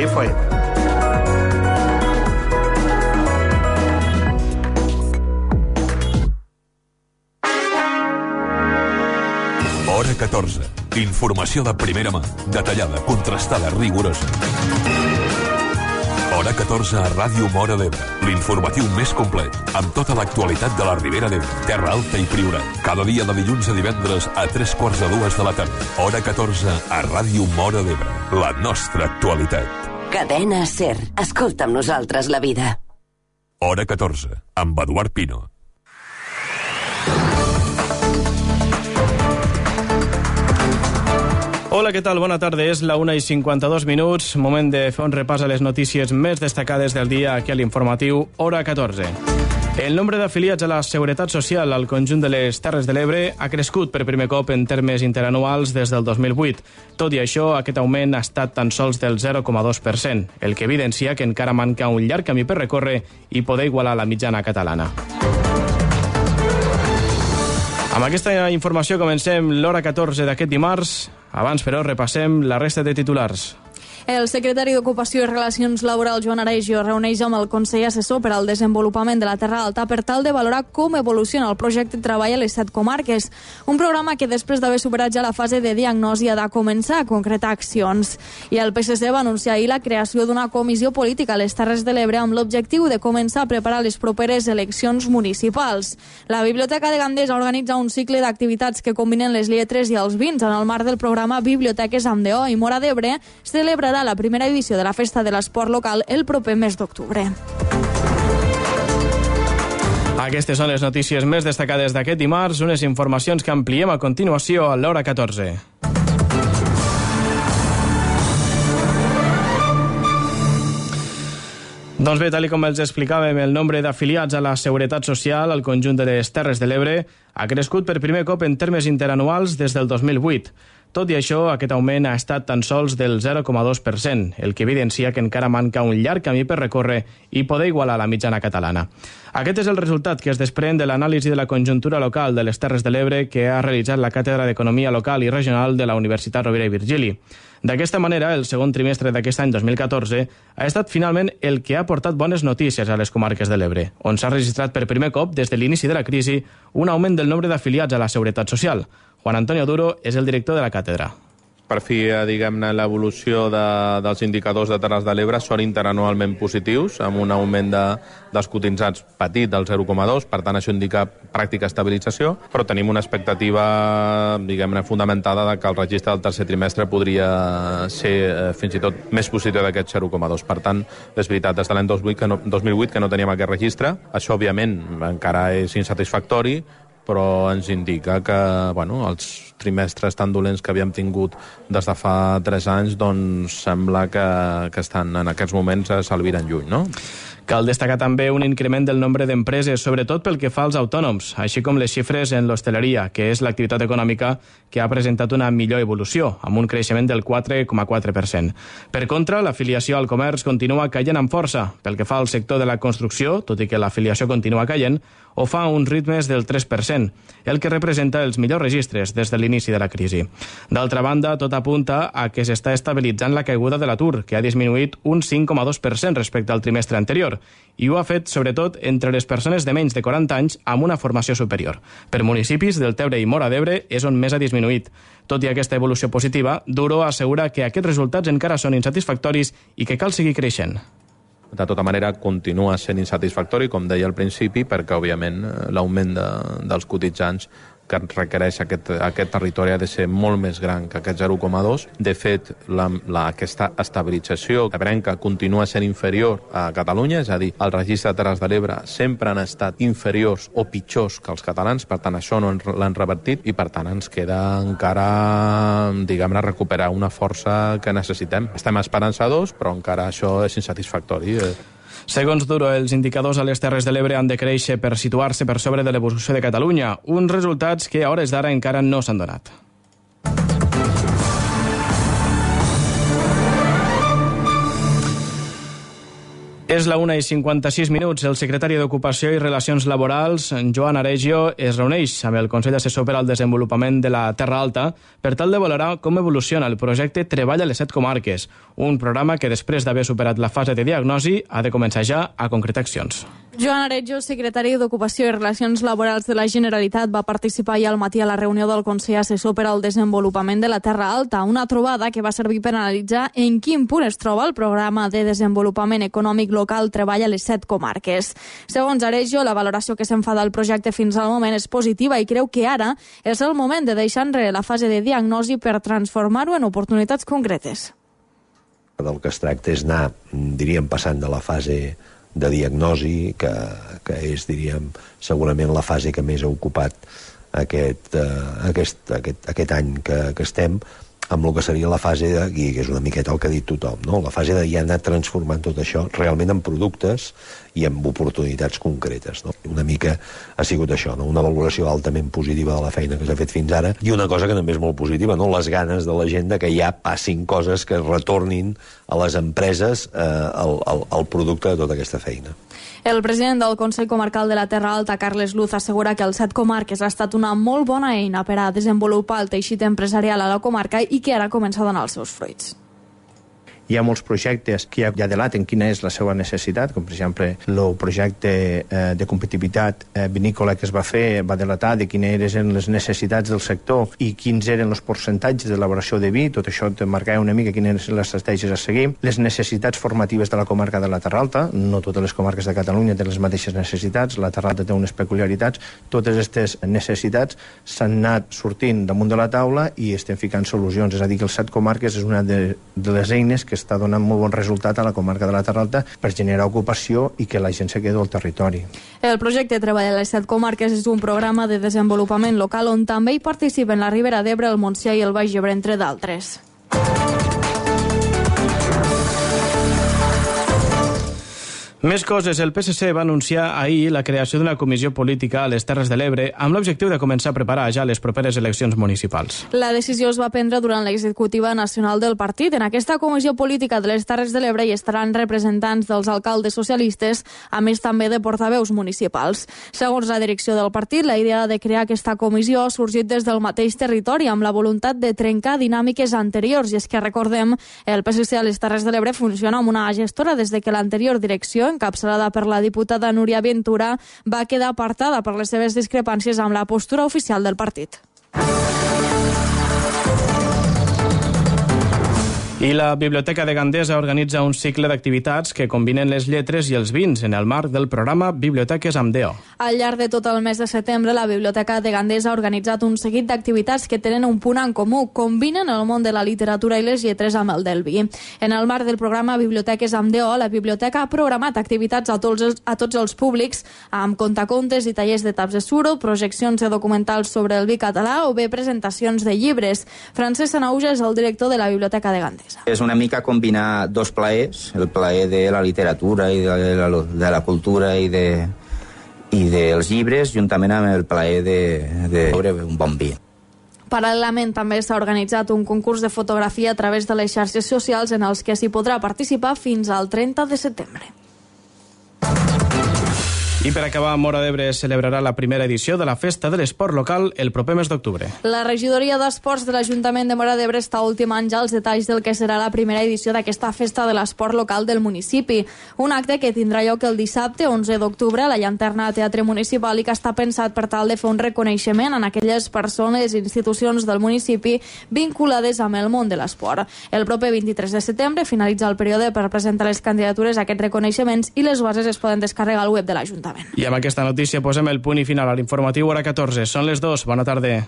FM. Hora 14. Informació de primera mà, detallada, contrastada, rigorosa. Hora 14 a Ràdio Móra d'Ebre. L'informatiu més complet, amb tota l'actualitat de la Ribera d'Ebre, Terra Alta i Priorat. Cada dia de dilluns a divendres a 3:45 de la tarda. Hora 14 a Ràdio Móra d'Ebre. La nostra actualitat. Cadena SER. Escolta amb nosaltres la vida. Hora 14, amb Eduard Pino. Hola, què tal? Bona tarda. És la 1:52. Moment de fer un repàs a les notícies més destacades del dia aquí a l'informatiu Hora 14. El nombre d'afiliats a la Seguretat Social al conjunt de les Terres de l'Ebre ha crescut per primer cop en termes interanuals des del 2008. Tot i això, aquest augment ha estat tan sols del 0,2%, el que evidencia que encara manca un llarg camí per recórrer i poder igualar la mitjana catalana. Amb aquesta informació comencem l'Hora 14 d'aquest dimarts. Abans, però, repassem la resta de titulars. El secretari d'Ocupació i Relacions Laborals, Joan Aregio, reuneix amb el Consell Assessor per al Desenvolupament de la Terra Alta per tal de valorar com evoluciona el projecte de treball a les 7 comarques. Un programa que, després d'haver superat ja la fase de diagnosi, ha de començar a concretar accions. I el PSC va anunciar ahir la creació d'una comissió política a les Terres de l'Ebre amb l'objectiu de començar a preparar les properes eleccions municipals. La Biblioteca de Gandesa organitza un cicle d'activitats que combinen les lletres i els vins en el marc del programa Biblioteques amb DO, i Móra d'Ebre celebrarà la primera edició de la Festa de l'Esport Local el proper mes d'octubre. Aquestes són les notícies més destacades d'aquest dimarts, unes informacions que ampliem a continuació a l'Hora 14. Doncs bé, tal com els explicàvem, el nombre d'afiliats a la Seguretat Social al conjunt de les Terres de l'Ebre ha crescut per primer cop en termes interanuals des del 2008. Tot i això, aquest augment ha estat tan sols del 0,2%, el que evidencia que encara manca un llarg camí per recórrer i poder igualar la mitjana catalana. Aquest és el resultat que es desprèn de l'anàlisi de la conjuntura local de les Terres de l'Ebre que ha realitzat la Càtedra d'Economia Local i Regional de la Universitat Rovira i Virgili. D'aquesta manera, el segon trimestre d'aquest any 2014 ha estat finalment el que ha portat bones notícies a les comarques de l'Ebre, on s'ha registrat per primer cop des de l'inici de la crisi un augment del nombre d'afiliats a la Seguretat Social. Juan Antonio Duro és el director de la càtedra. Per fi, diguem-ne, l'evolució dels indicadors de Terres de l'Ebre són interanualment positius, amb un augment dels cotitzats petit del 0,2, per tant això indica pràctica estabilització, però tenim una expectativa, diguem-ne, fundamentada de que el registre del tercer trimestre podria ser fins i tot més positiu d'aquest 0,2. Per tant, és veritat, des de l'any 2008 que no teníem aquest registre, això òbviament encara és insatisfactori, però ens indica que els trimestres tan dolents que havíem tingut des de fa 3 anys doncs sembla que estan en aquests moments s'albiren lluny, no? Cal destacar també un increment del nombre d'empreses, sobretot pel que fa als autònoms, així com les xifres en l'hostaleria, que és l'activitat econòmica que ha presentat una millor evolució, amb un creixement del 4,4%. Per contra, l'afiliació al comerç continua caient amb força. Pel que fa al sector de la construcció, tot i que l'afiliació continua caient, ho fa a uns ritmes del 3%, el que representa els millors registres des de l'inici de la crisi. D'altra banda, tot apunta a que s'està estabilitzant la caiguda de l'atur, que ha disminuït un 5,2% respecte al trimestre anterior, i ho ha fet sobretot entre les persones de menys de 40 anys amb una formació superior. Per municipis del Tebre i Móra d'Ebre és on més ha disminuït. Tot i aquesta evolució positiva, Duro assegura que aquests resultats encara són insatisfactoris i que cal seguir creixent. De tota manera, continua sent insatisfactori, com deia al principi, perquè, òbviament, l'augment dels cotitzants que requereix aquest territori ha de ser molt més gran que aquest 0,2. De fet, aquesta estabilització ebrenca continua sent inferior a Catalunya, és a dir, el registre de Terres de l'Ebre sempre han estat inferiors o pitjors que els catalans, per tant, això no l'han revertit i, per tant, ens queda encara, diguem-ne, recuperar una força que necessitem. Estem esperançadors, però encara això és insatisfactori. Segons Duro, els indicadors a les Terres de l'Ebre han de créixer per situar-se per sobre de l'evolució de Catalunya, uns resultats que a hores d'ara encara no s'han donat. És la 1:56. El secretari d'Ocupació i Relacions Laborals, Joan Aregio, es reuneix amb el Consell Assessor per al Desenvolupament de la Terra Alta per tal de valorar com evoluciona el projecte Treball a les 7 comarques, un programa que després d'haver superat la fase de diagnosi ha de començar ja a concretar accions. Joan Aregio, secretari d'Ocupació i Relacions Laborals de la Generalitat, va participar ahir al matí a la reunió del Consell Assessor per al Desenvolupament de la Terra Alta, una trobada que va servir per analitzar en quin punt es troba el programa de desenvolupament econòmic local Treball a les 7 comarques. Segons Aregio, la valoració que se'n fa del projecte fins al moment és positiva i creu que ara és el moment de deixar enrere la fase de diagnosi per transformar-ho en oportunitats concretes. Del que es tracta és anar, diríem, passant de la fase de diagnosi, que és, diríem, segurament la fase que més ha ocupat aquest any que estem, amb el que seria la fase de, i que és una miqueta el que ha dit tothom, no? La fase de ja anar transformant tot això realment en productes i en oportunitats concretes, no? Una mica ha sigut això, no? Una valoració altament positiva de la feina que s'ha fet fins ara i una cosa que també és molt positiva, no? Les ganes de la gent de que ja passin coses que retornin a les empreses el producte de tota aquesta feina. El president del Consell Comarcal de la Terra Alta, Carles Luz, assegura que el 7 comarques ha estat una molt bona eina per a desenvolupar el teixit empresarial a la comarca i que ara comença a donar els seus fruits. Hi ha molts projectes que ja delaten quina és la seva necessitat, com per exemple el projecte de competitivitat vinícola que es va fer va delatar de quines eren les necessitats del sector i quins eren els percentatges d'elaboració de vi. Tot això te marcava una mica quines eren les estratègies a seguir. Les necessitats formatives de la comarca de la Terra Alta, no totes les comarques de Catalunya tenen les mateixes necessitats, la Terra Alta té unes peculiaritats. Totes aquestes necessitats s'han anat sortint damunt de la taula i estem ficant solucions. És a dir, que els 7 comarques és una de les eines que està donant molt bon resultat a la comarca de la Terra Alta per generar ocupació i que la gent se quedi al territori. El projecte Treball a les 7 comarques és un programa de desenvolupament local on també hi participen la Ribera d'Ebre, el Montsià i el Baix Ebre, entre d'altres. Més coses. El PSC va anunciar ahir la creació d'una comissió política a les Terres de l'Ebre amb l'objectiu de començar a preparar ja les properes eleccions municipals. La decisió es va prendre durant l'executiva nacional del partit. En aquesta comissió política de les Terres de l'Ebre hi estaran representants dels alcaldes socialistes, a més també de portaveus municipals. Segons la direcció del partit, la idea de crear aquesta comissió ha sorgit des del mateix territori amb la voluntat de trencar dinàmiques anteriors. I és que, recordem, el PSC a les Terres de l'Ebre funciona amb una gestora des de que l'anterior direcció, encapçalada per la diputada Núria Ventura, va quedar apartada per les seves discrepàncies amb la postura oficial del partit. I la Biblioteca de Gandesa organitza un cicle d'activitats que combinen les lletres i els vins en el marc del programa Biblioteques amb DEO. Al llarg de tot el mes de setembre, la Biblioteca de Gandesa ha organitzat un seguit d'activitats que tenen un punt en comú. Combinen el món de la literatura i les lletres amb el del vi. En el marc del programa Biblioteques amb DEO, la biblioteca ha programat activitats a tots els públics amb contacontes i tallers de taps de suro, projeccions de documentals sobre el vi català o bé presentacions de llibres. Francesc Sanauja és el director de la Biblioteca de Gandesa. És una mica combinar dos plaers, el plaer de la literatura i de la cultura i dels llibres, juntament amb el plaer de beure un bon vi. Paral·lelament també s'ha organitzat un concurs de fotografia a través de les xarxes socials en els que s'hi podrà participar fins al 30 de setembre. I per acabar, Móra d'Ebre celebrarà la primera edició de la Festa de l'Esport Local el proper mes d'octubre. La regidoria d'Esports de l'Ajuntament de Móra d'Ebre està ultimant ja els detalls del que serà la primera edició d'aquesta Festa de l'Esport Local del municipi. Un acte que tindrà lloc el dissabte 11 d'octubre a la Llanterna Teatre Municipal i que està pensat per tal de fer un reconeixement en aquelles persones i institucions del municipi vinculades amb el món de l'esport. El proper 23 de setembre finalitza el període per presentar les candidatures a aquests reconeixements i les bases es poden descarregar al web de l'Ajuntament. I amb aquesta notícia posem el punt i final a l'informatiu hora 14. Són les 2. Bona tarda.